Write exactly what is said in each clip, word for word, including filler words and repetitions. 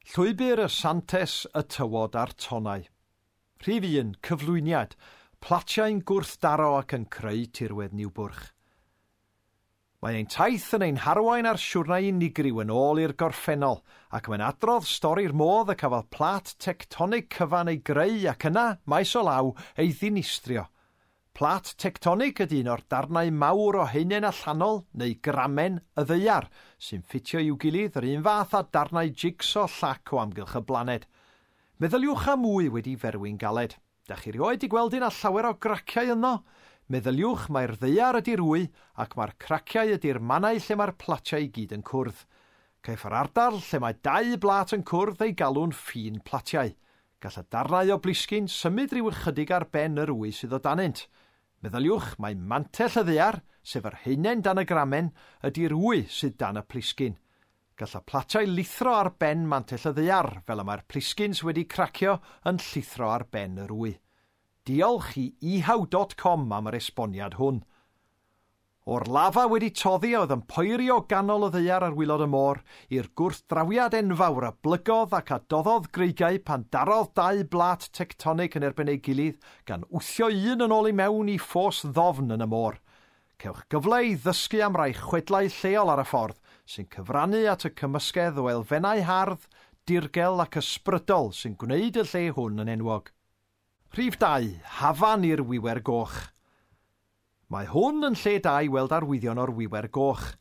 Llwybr y Santes, y Tywod a'r Tonnau. Rhif un, cyflwyniad, platiau'n gwrthdaro ac yn creu tirwedd Niwbwrch. Mae ein taith yn ein harwain ar siwrnai unigryw yn ôl i'r gorffennol, ac mae'n adrodd stori'r modd y cafodd plat tectonig cyfan ei greu ac yna, maes o law, ei ddinistrio. Plat tectonig ydy un o'r darnau mawr o haenen allanol, neu gramen, y ddaear, sy'n ffitio i'w gilydd yr un fath â darnau jigso llac o amgylch y blaned. Meddyliwch am wy wedi ferwi'n galed. Da chi rioed 'di gweld un â llawer o graciau yno? Meddyliwch mai'r ddaear ydy'r wy ac mae'r craciau ydy'r mannau lle mae'r platiau i gyd yn cwrdd. Caiff yr ardal lle mae dau blat yn cwrdd ei galw'n ffin platiau. Gall y darnau o blisgyn symud rhyw ychydig ar ben yr wy sydd o danynt. Meddyliwch mai mantell y ddaear, sef yr haenen dan y gramen, ydy'r wy sydd dan y plisgyn. Gall y platiau lithro ar ben mantell y ddaear, fel y mae'r plisgyn sydd wedi cracio yn llithro ar ben yr wy. Diolch i ehow dot com am yr esboniad hwn. O'r lafa wedi toddi oedd yn poeri o ganol y ddaear ar waelod y môr, i'r gwrthdrawiad enfawr a blygodd ac a doddodd greigiau pan darodd dau blat tectonig yn erbyn ei gilydd, gan wthio un yn ôl i mewn i ffos ddofn yn y môr. Cewch gyfle i ddysgu am rai chwedlau lleol ar y ffordd, sy'n cyfrannu at y cymysgedd o elfennau hardd, dirgel ac ysbrydol sy'n gwneud y lle hwn yn enwog. Rhif dau, hafan i'r wiwer goch. Mae hwn yn lle da i weld arwyddion o'r wiwer goch.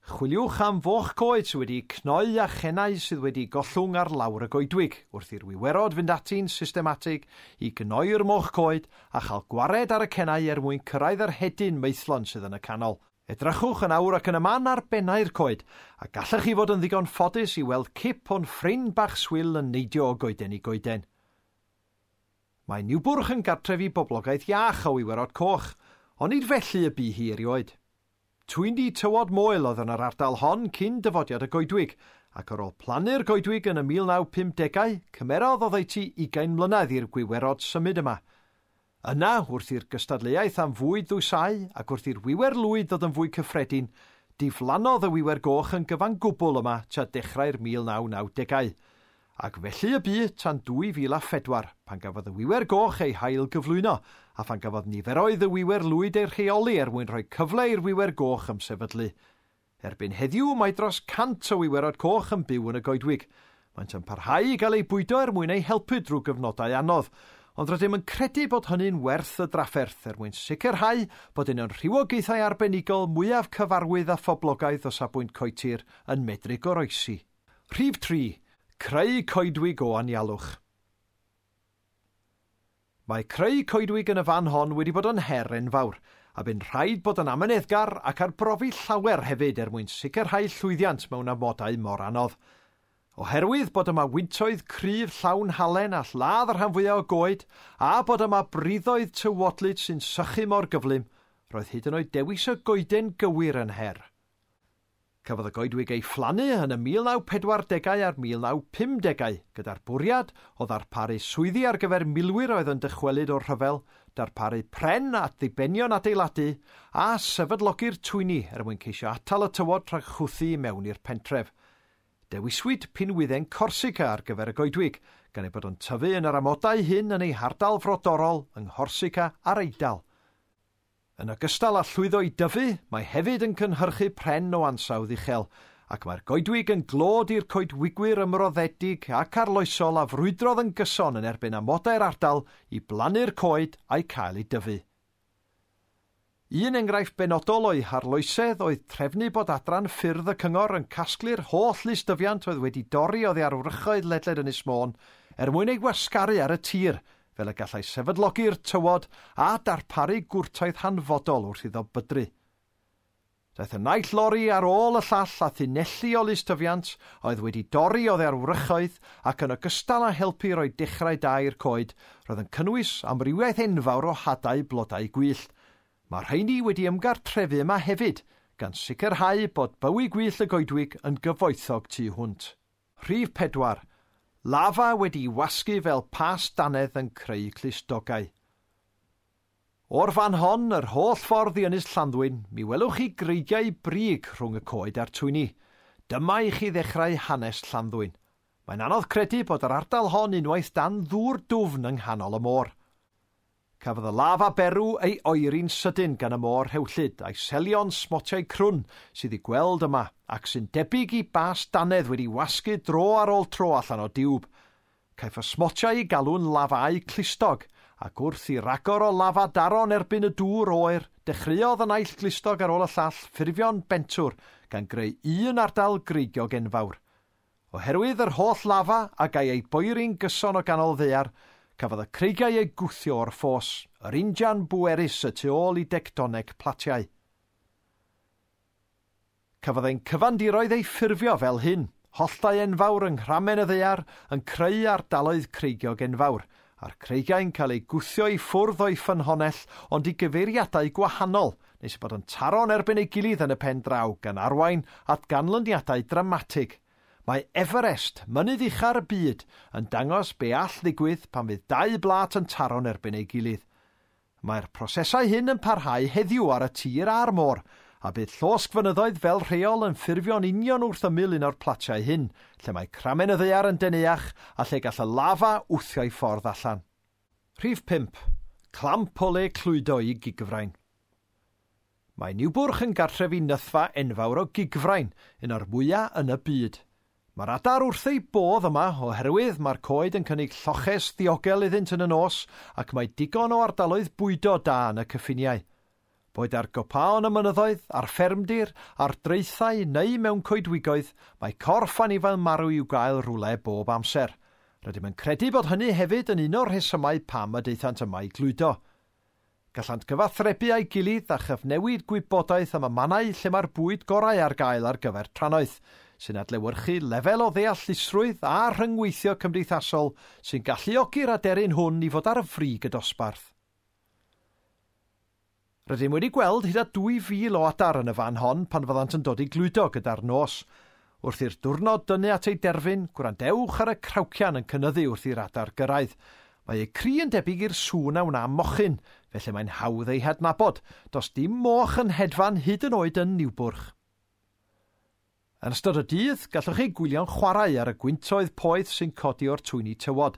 Chwiliwch am foch coed sydd wedi cnoi a chennau sydd wedi gollwng ar lawr y goedwig, wrth i'r wiwerod fynd ati'n systematig i gnoi'r moch coed a chael gwared ar y cennau er mwyn cyrraedd yr hedyn maethlon sydd yn y canol. Edrychwch yn awr ac yn y man ar bennau'r coed, a gallech chi fod yn ddigon ffodus i weld cip o'n ffrind bach swil yn neidio o goeden i goeden. Mae Niwbwrch yn gartref i boblogaeth iach o wiwerod coch, ond nid felly y bu hi erioed. Twyni tywod moel oedd yn yr ardal hon cyn dyfodiad y goedwig, ac ar ôl plannu'r goedwig yn y mil naw pumdegau, cymerodd oddeutu ugain mlynedd i'r gwiwerod symud yma. Yna, wrth i'r gystadleuaeth am fwyd ddwysau ac wrth i'r wiwer lwyd ddod yn fwy cyffredin, diflannodd y wiwer goch yn gyfan gwbl yma tua dechrau'r mil naw nawdegau. Ac felly y bu tan dwy fil a phedwar, pan gafodd y wiwer goch ei hail gyflwyno, a phan gafodd niferoedd y wiwer lwyd ei rheoli er mwyn rhoi cyfle i'r wiwer goch ymsefydlu. Erbyn heddiw mae dros cant o wiwerod coch yn byw yn y goedwig. Maent yn parhau i gael eu bwydo er mwyn eu helpu drwy gyfnodau anodd, ond rydym yn credu bod hynny'n werth y drafferth er mwyn sicrhau bod un o'n rhywogaethau arbenigol mwyaf cyfarwydd a phoblogaidd o safbwynt coetir yn medru goroesi. Rhif tri. Creu coedwig o anialwch. Mae creu coedwig yn y fan hon wedi bod yn her enfawr, a bu'n rhaid bod yn amyneddgar ac arbrofi llawer hefyd er mwyn sicrhau llwyddiant mewn amodau mor anodd. Oherwydd bod yma wyntoedd cryf llawn halen a lladd y rhan fwyaf o goed, a bod yma briddoedd tywodlyd sy'n sychu mor gyflym, roedd hyd yn oed dewis y goeden gywir yn her. Cafodd y goedwig ei phlannu yn y mil naw pedwardegau a'r mil naw pumdegau, gyda'r bwriad o ddarparu swyddi ar gyfer milwyr oedd yn dychwelyd o'r rhyfel, darparu pren at ddibenion adeiladu, a sefydlogi'r twyni er mwyn ceisio atal y tywod rhag chwthu i mewn i'r pentref. Dewiswyd pinwydden Corsica ar gyfer y goedwig, gan ei bod yn tyfu yn yr amodau hyn yn ei hardal frodorol yng Nghorsica a'r Eidal. Yn ogystal â llwyddo i dyfu, mae hefyd yn cynhyrchu pren o ansawdd uchel, ac mae'r goedwig yn glod i'r coedwigwyr ymroddedig ac arloesol a frwydrodd yn gyson yn erbyn amodau'r ardal i blannu'r coed a'i cael ei dyfu. Un enghraifft benodol o'i harloesedd oedd trefnu bod adran ffyrdd y cyngor yn casglu'r holl lystyfiant oedd wedi dorri oddi ar wrychoedd ledled Ynys Môn er mwyn ei wasgaru ar y tir, fel y gallai sefydlogi'r tywod a darparu gwrtaith hanfodol wrth iddo bydru. Daeth y naill lori ar ôl y llall a thunelli o lystyfiant oedd wedi dorri oddi ar wrychoedd ac yn ogystal â helpu roi dechrau da i'r coed, roedd yn cynnwys amrywiaeth enfawr o hadau blodau gwyllt. Mae'r rheini wedi ymgartrefu yma hefyd, gan sicrhau bod bywyd gwyllt y goedwig yn gyfoethog tu hwnt. Rhif pedwar. Lafa wedi'i wasgu fel pas dannedd yn creu clustogau. O'r fan hon, yr holl ffordd i Ynys Llanddwyn, mi welwch chi greigiau brig rhwng y coed a'r twyni. Dyma i chi ddechrau hanes Llanddwyn. Mae'n anodd credu bod yr ardal hon unwaith dan ddŵr dwfn yng nghanol y môr. Cafodd y lafa berw ei oeri'n sydyn gan y môr rhewllyd a'i selio'n smotiau crwn sydd i gweld yma ac sy'n debyg i bas dannedd wedi wasgu dro ar ôl tro allan o diwb. Caiff y smotiau ei galw'n lafau clustog, ac wrth i ragor o lafa daro'n erbyn y dŵr oer, dechreuodd y naill glustog ar ôl y llall ffurfio'n bentwr gan greu un ardal greigiog enfawr. Oherwydd yr holl lafa a gai ei boeri'n gyson o ganol ddaear, cafodd y creigiau eu gwthio o'r ffos, yr injan bwerus y tu ôl i dectoneg platiau. Cafodd ein cyfandiroedd eu ffurfio fel hyn, holltau enfawr yng nghramen y ddaear yn creu ardaloedd creigiog enfawr, a'r creigiau'n cael eu gwthio i ffwrdd o'i ffynhonnell ond i gyfeiriadau gwahanol, nes eu bod yn taro'n erbyn ei gilydd yn y pen draw gan arwain at ganlyniadau dramatig. Mae Everest, mynydd ucha'r y byd, yn dangos be all ddigwydd pan fydd dau blat yn taro'n erbyn ei gilydd. Mae'r prosesau hyn yn parhau heddiw ar y tir a'r môr, a bydd llosgfynyddoedd fel rheol yn ffurfio'n union wrth ymyl un o'r platiau hyn, lle mae cramen y ddaear yn deneuach a lle gall y lafa wthio'i ffordd allan. Rhif pump. Clamp o le clwydo i gigfrain. Mae Niwbwrch yn gartref i nythfa enfawr o gigfrain, un o'r mwyaf yn y byd. Mae'r adar wrth ei bodd yma oherwydd mae'r coed yn cynnig lloches ddiogel iddynt yn y nos ac mae digon o ardaloedd bwydo da yn y cyffiniau. Boed ar gopaon y mynyddoedd, ar ffermdir, ar draethau neu mewn coedwigoedd, mae corff anifail marw i'w gael rhywle bob amser. Rydym yn credu bod hynny hefyd yn un o'r rhesymau pam y daethant yma i glwydo. Gallant gyfathrebu â'i gilydd a chyfnewid gwybodaeth am y mannau lle mae'r bwyd gorau ar gael ar gyfer trannoeth, sy'n adlewyrchu lefel o ddeallusrwydd a rhyngweithio cymdeithasol sy'n galluogi'r aderyn hwn i fod ar y frig y dosbarth. Rydym wedi gweld hyd at dwy fil o adar yn y fan hon pan fyddant yn dod i glwydo gyda'r nos. Wrth i'r diwrnod dynnu at ei derfyn, gwrandewch ar y crawcian yn cynyddu wrth i'r adar gyrraedd. Mae eu cri yn debyg i'r sŵn a wna mochyn, felly mae'n hawdd ei hadnabod. Does dim moch yn hedfan hyd yn oed yn Niwbwrch. Yn ystod y dydd, gallwch chi gwylio'n chwarae ar y gwyntoedd poeth sy'n codi o'r twyni tywod.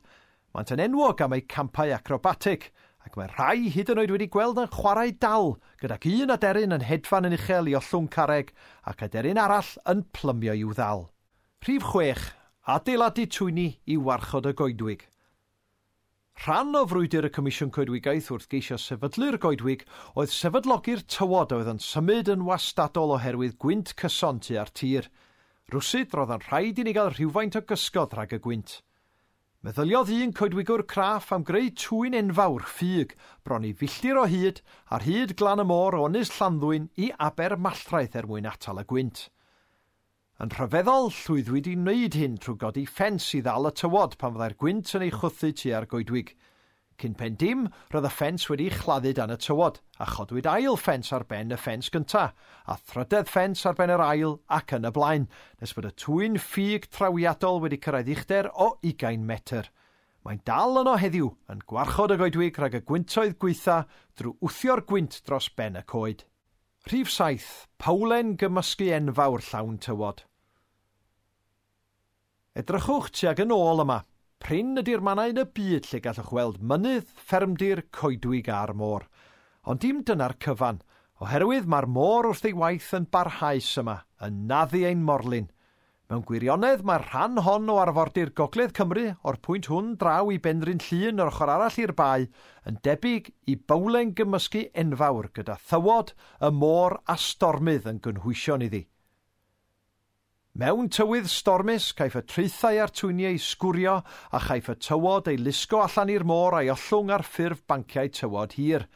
Maent yn enwog am eu campau acrobatig, ac mae rhai hyd yn oed wedi gweld yn chwarae dal, gydag un aderyn yn hedfan yn uchel i ollwng carreg ac aderyn arall yn plymio i'w ddal. Rhif chwech. Adeiladu twyni i warchod y goedwig. Rhan o frwydr y Comisiwn Coedwigaeth wrth geisio sefydlu'r goedwig oedd sefydlogi'r tywod oedd yn symud yn wastadol oherwydd gwynt cyson tua'r tir. Rwsut roedd yn rhaid i ni gael rhywfaint o gysgod rhag y gwynt. Meddyliodd un coedwigwr craff am greu twyn enfawr ffug bron i filltir o hyd ar hyd glan y môr o Ynys Llanddwyn i Aber Malltraeth er mwyn atal y gwynt. Yn rhyfeddol, llwyddwyd i wneud hyn trwy godi ffens i ddal y tywod pan fyddai'r gwynt yn ei chwthu tua'r goedwig. Cyn pen dim, roedd y ffens wedi'i chladdu dan y tywod, a chodwyd ail ffens ar ben y ffens gynta, a thrydedd ffens ar ben yr ail ac yn y blaen, nes bod y twyn ffug trawiadol wedi cyrraedd uchder o ugain metr. Mae'n dal yno heddiw, yn gwarchod y goedwig rhag y gwyntoedd gweitha drwy wthio'r gwynt dros ben y coed. Rhif saith. Powlen gymysgu enfawr llawn tywod. Edrychwch tuag yn ôl yma. Prin ydy'r mannau yn y byd lle gallwch weld mynydd, ffermdir, coedwig a'r môr. Ond dim dyna'r cyfan, oherwydd mae'r môr wrth ei waith yn barhaus yma, yn naddu ein morlin. Mewn gwirionedd, mae'r rhan hon o arfordir Gogledd Cymru, o'r pwynt hwn draw i Benrhyn Llŷn yr ochr arall i'r bae, yn debyg i bowlen gymysgu enfawr gyda thywod, y môr a stormydd yn gynhwysion iddi. Mewn tywydd stormus, caiff y traethau a'r twyni eu sgwrio a chaiff y tywod ei lusgo allan i'r môr a'i ollwng ar ffurf banciau tywod hir.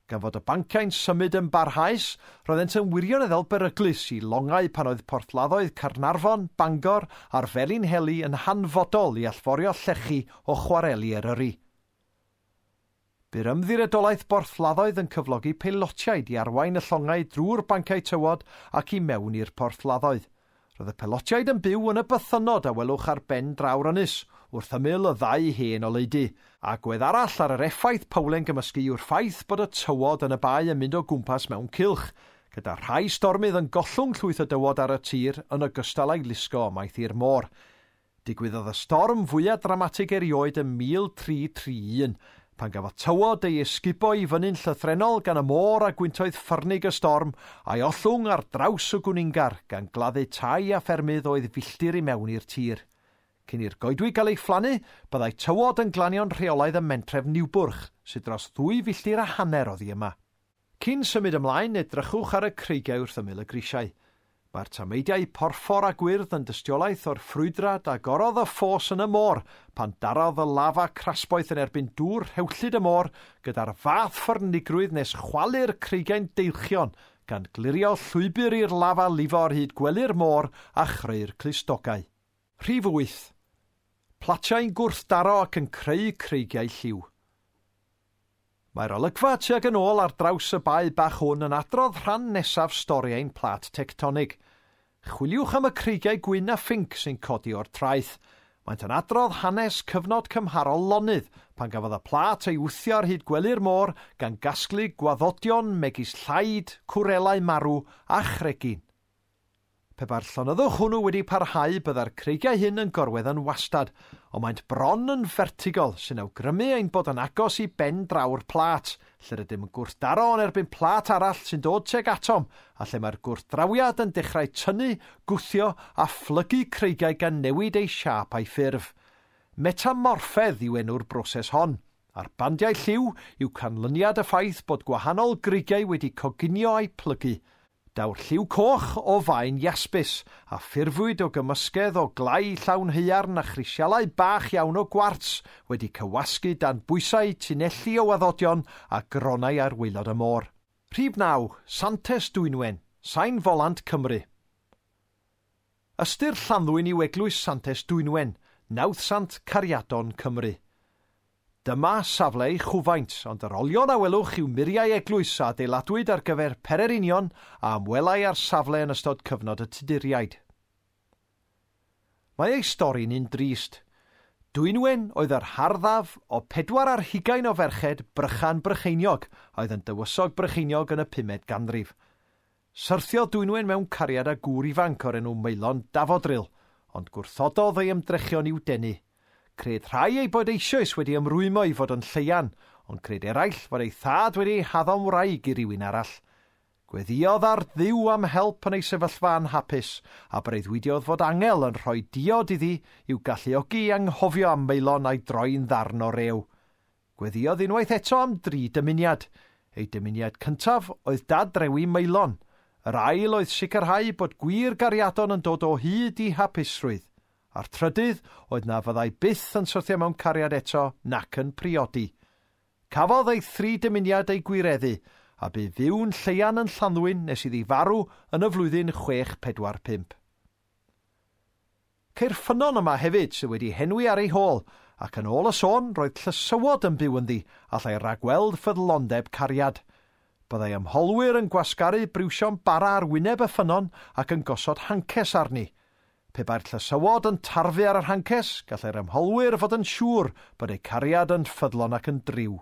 Gan fod y banciau'n symud yn barhaus, roeddent yn wirioneddol beryglus i longau pan oedd porthladdoedd Caernarfon, Bangor a'r Felinheli yn hanfodol i allforio llechi o chwareli Eryri. Bu'r ymddiriedolaeth borthladdoedd yn cyflogi peilotiaid i arwain y llongau drwy'r banciau tywod ac i mewn i'r porthladdoedd. Roedd y pelotiaid yn byw yn y bythynnod a welwch ar ben draw'r ynys, wrth ymyl y ddau hen oleudy. Agwedd arall ar yr effaith powlen gymysgu yw'r ffaith bod y tywod yn y bae yn mynd o gwmpas mewn cylch, gyda rhai stormydd yn gollwng llwyth o dywod ar y tir yn ogystal â'i lusgo ymaith i'r môr. Digwyddodd y storm fwyaf dramatig erioed ym mil tri tri un, pan gafodd tywod ei ysgubo i fyny'n llythrennol gan y môr a gwyntoedd ffyrnig y storm a'i ollwng ar draws y Gwningar gan gladdu tai a ffermydd oedd filltir i mewn i'r tir. Cyn i'r goedwig gael ei phlannu, byddai tywod yn glanio'n rheolaidd ym mentref Niwbwrch, sydd dros ddwy filltir a hanner oddi yma. Cyn symud ymlaen, edrychwch ar y creigiau wrth ymyl y grisiau. Mae'r tameidiau porffor a gwyrdd yn dystiolaeth o'r ffrwydrad a gorodd y ffos yn y môr pan darodd y lafa crasboeth yn erbyn dŵr rhewllyd y môr gyda'r fath ffyrnigrwydd nes chwalu'r creigiau'n deilchion gan glirio llwybr i'r lafa lifo ar hyd gwely'r môr a chreu'r clustogau. Rhif wyth. Platiau'n gwrthdaro ac yn creu creigiau lliw. Mae'r olygfa tuag yn ôl ar draws y bae bach hwn yn adrodd rhan nesaf stori ein plat tectonig. Chwiliwch am y creigiau gwyn a phinc sy'n codi o'r traeth. Maent yn adrodd hanes cyfnod cymharol lonydd pan gafodd y plat ei wthio ar hyd gwely'r môr gan gasglu gwaddodion megis llaid, cwrelau marw a chregyn. Pe bai'r llonyddwch hwnnw wedi parhau, byddai'r creigiau hyn yn gorwedd yn wastad, ond maent bron yn fertigol sy'n awgrymu ein bod yn agos i ben draw'r plat, lle rydym yn gwrthdaro yn erbyn plat arall sy'n dod tuag atom, a lle mae'r gwrthdrawiad yn dechrau tynnu, gwthio a phlygu creigiau gan newid ei siâp a'i ffurf. Metamorffedd yw enw'r broses hon, a'r bandiau lliw yw canlyniad y ffaith bod gwahanol greigiau wedi coginio a'u plygu. Daw'r lliw coch o faen iasbis a ffurfwyd o gymysgedd o glai llawn haearn a chrisialau bach iawn o gwarts wedi cywasgu dan bwysau tunelli o waddodion a gronau ar waelod y môr. Rhif naw, Santes Dwynwen, Sain Folant Cymru. Ystyr Llanddwyn yw Eglwys Santes Dwynwen, nawddsant Cariadon Cymru. Dyma safle ei chwfaint, ond yr olion a welwch yw muriau eglwys a adeiladwyd ar gyfer pererinion a ymwelai ar safle yn ystod cyfnod y Tuduriaid. Mae ei stori'n un drist. Dwynwen oedd yr harddaf o pedwar ar hugain o ferched Brychan Brycheiniog oedd yn dywysog Brycheiniog yn y pumed ganrif. Syrthiodd Dwynwen mewn cariad â gŵr ifanc o'r enw Maelon Dafodrill, ond gwrthododd ei ymdrechion i'w denu. Cred rhai ei bod eisoes wedi ymrwymo i fod yn lleian, ond cred eraill fod ei thad wedi ei haddo'n wraig i rywun arall. Gweddïodd ar Dduw am help yn ei sefyllfa anhapus, a breuddwydiodd fod angel yn rhoi diod iddi i'w galluogi i anghofio am Maelon a'i droi'n ddarn o rew. Gweddïodd unwaith eto am dri dymuniad. Ei dymuniad cyntaf oedd dadrewi Maelon. Yr ail oedd sicrhau bod gwir gariadon yn dod o hyd i hapusrwydd. A'r trydydd oedd na fyddai byth yn syrthio mewn cariad eto nac yn priodi. Cafodd ei thri dymuniad ei gwireddu, a bu fyw'n lleian yn Llanddwyn nes iddi farw yn y flwyddyn chwech pedwar pump. Ceir ffynnon yma hefyd sydd wedi henwi ar ei hôl, ac yn ôl y sôn roedd llysywod yn byw ynddi allai ragweld ffyddlondeb cariad. Byddai ymholwyr yn gwasgaru briwsion bara ar wyneb y ffynnon ac yn gosod hances arni. Pe bai'r llysywod yn tarfu ar yr hances, gallai'r ymholwyr fod yn siŵr bod eu cariad yn ffyddlon ac yn driw.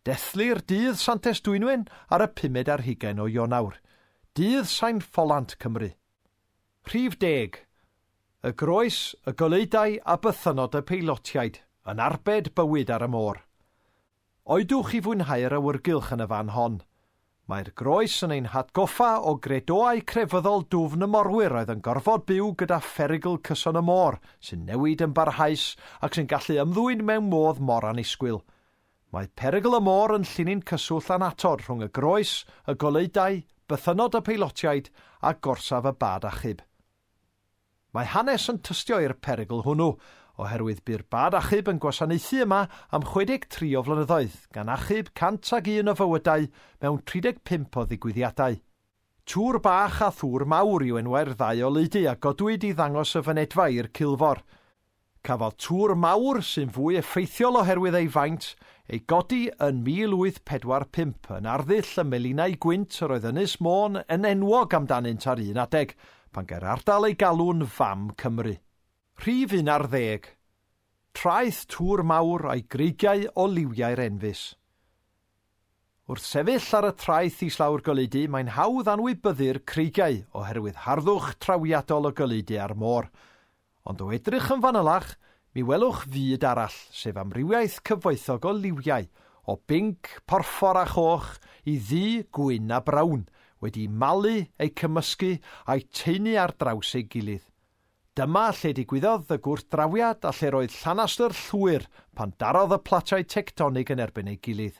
Dethlir dydd Santes Dwynwen ar y pumed ar hugain o Ionawr. Dydd Sain Ffolant Cymru. Rhif deg. Y groes, y goleudau a bythynod y peilotiaid, yn arbed bywyd ar y môr. Oedwch i fwynhau'r awyrgylch yn y fan hon. Mae'r groes yn ein hatgoffa o gredoau crefyddol dwfn y morwyr oedd yn gorfod byw gyda pherygl cyson y môr, sy'n newid yn barhaus ac sy'n gallu ymddwyn mewn modd mor annisgwyl. Mae perygl y môr yn llinyn cyswllt annatod rhwng y groes, y goleudau, bythynod y peilotiaid a gorsaf y bad achub. Mae hanes yn tystio i'r perygl hwnnw, oherwydd bu'r bad achub yn gwasanaethu yma am chwe deg tri o flynyddoedd, gan achub cant ag un o fywydau mewn tri deg pump o ddigwyddiadau. Tŵr bach a thŵr mawr yw enwau'r ddau oleudy a godwyd i ddangos y fynedfa i'r cilfor. Cafodd tŵr mawr, sy'n fwy effeithiol oherwydd ei faint, ei godi yn mil wyth pedwar pump yn arddull y melinau gwynt yr oedd Ynys Môn yn enwog amdanynt ar un adeg, pan gai'r ardal ei galw'n Fam Cymru. Rhif un ar ddeg. Traeth tŵr mawr a'i greigiau o liwiau'r enfys. Wrth sefyll ar y traeth islaw'r goleudy, mae'n hawdd anwybyddu'r creigiau oherwydd harddwch trawiadol y goleudy a'r môr. Ond o edrych yn fanylach, mi welwch fyd arall, sef amrywiaeth cyfoethog o liwiau, o binc, porffor a choch, i ddu, gwyn a brown, wedi malu, eu cymysgu a'u taenu ar draws ei gilydd. Dyma lle digwyddodd y gwrthdrawiad a lle roedd llanastr llwyr pan darodd y platiau tectonig yn erbyn ei gilydd.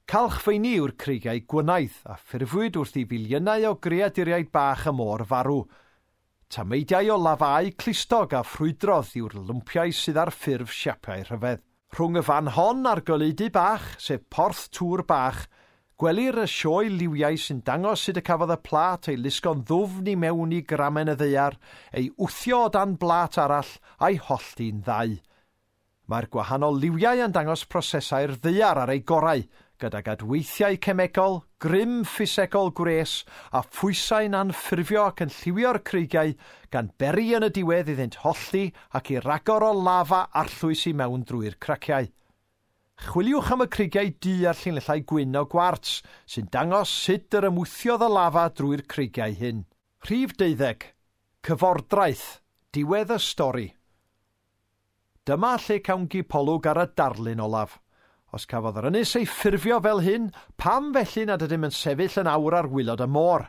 Calchfeini yw'r creigiau gwynaidd a ffurfwyd wrth i filiynau o greaduriaid bach y môr farw. Tameidiau o lafau clustog a ffrwydrodd yw'r lwmpiau sydd ar ffurf siapiau rhyfedd. Rhwng y fan hon a'r goleudy bach, sef Porth Tŵr Bach, gwelir y sioe liwiau sy'n dangos sut y cafodd y plât ei lusgo'n ddwfn i mewn i gramen y ddaear, ei wthio o dan blât arall a'i hollti'n ddau. Mae'r gwahanol liwiau yn dangos prosesau'r ddaear ar ei gorau, gydag adweithiau cemegol, grym ffisegol gwres a phwysau'n anffurfio ac yn lliwio'r creigiau gan beri yn y diwedd iddynt hollti ac i ragor o lafa arllwys i mewn drwy'r craciau. Chwiliwch am y creigiau du a'r llinellau gwyn o gwarts sy'n dangos sut yr ymwthiodd y lafa drwy'r creigiau hyn. Rhif deuddeg. Cyfordraeth. Diwedd y stori. Dyma lle cawn gipolwg ar y darlun olaf. Os cafodd yr ynys ei ffurfio fel hyn, pam felly nad ydym yn sefyll yn awr ar waelod y môr?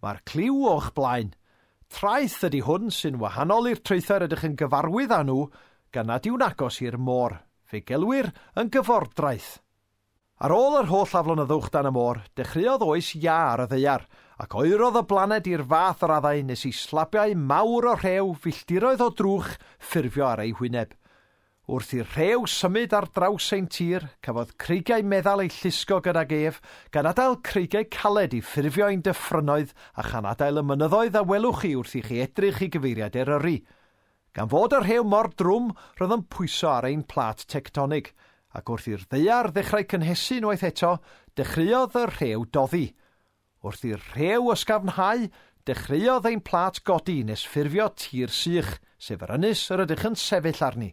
Mae'r cliw o'ch blaen. Traeth ydy hwn sy'n wahanol i'r traethau rydych yn gyfarwydd â nhw, gan nad yw'n agos i'r môr. Fe gelwir yn gyfordraeth. Ar ôl yr holl aflonyddwch dan y môr, dechreuodd oes iâ ar y ddaear, ac oerodd y blaned i'r fath raddau nes i slabiau mawr o rhew filltiroedd o drwch ffurfio ar ei hwyneb. Wrth i'r rhew symud ar draws ein tir, cafodd creigiau meddal eu llusgo gydag ef, gan adael creigiau caled i ffurfio ein dyffrynnoedd a chan adael y mynyddoedd a welwch chi wrth i chi edrych i gyfeiriad Eryri. Gan fod y rhew mor drwm, roedd yn pwyso ar ein plât tectonig, ac wrth i'r ddaear ddechrau cynhesu unwaith eto, dechreuodd y rhew doddi. Wrth i'r rhew ysgafnhau, dechreuodd ein plât godi nes ffurfio tir sych, sef yr ynys yr ydych yn sefyll arni.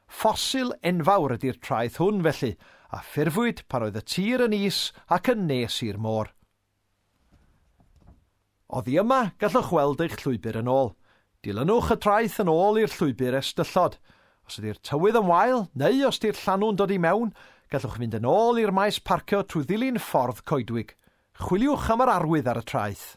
Ffosil enfawr ydy'r traeth hwn felly, a ffurfwyd pan oedd y tir yn is ac yn nes i'r môr. Oddi yma, gallwch weld eich llwybr yn ôl. Dilynwch y traeth yn ôl i'r llwybr estyllod. Os ydy'r tywydd yn wael, neu os ydy'r llanw'n dod i mewn, gallwch fynd yn ôl i'r maes parcio trwy ddilyn ffordd coedwig. Chwiliwch am yr arwydd ar y traeth.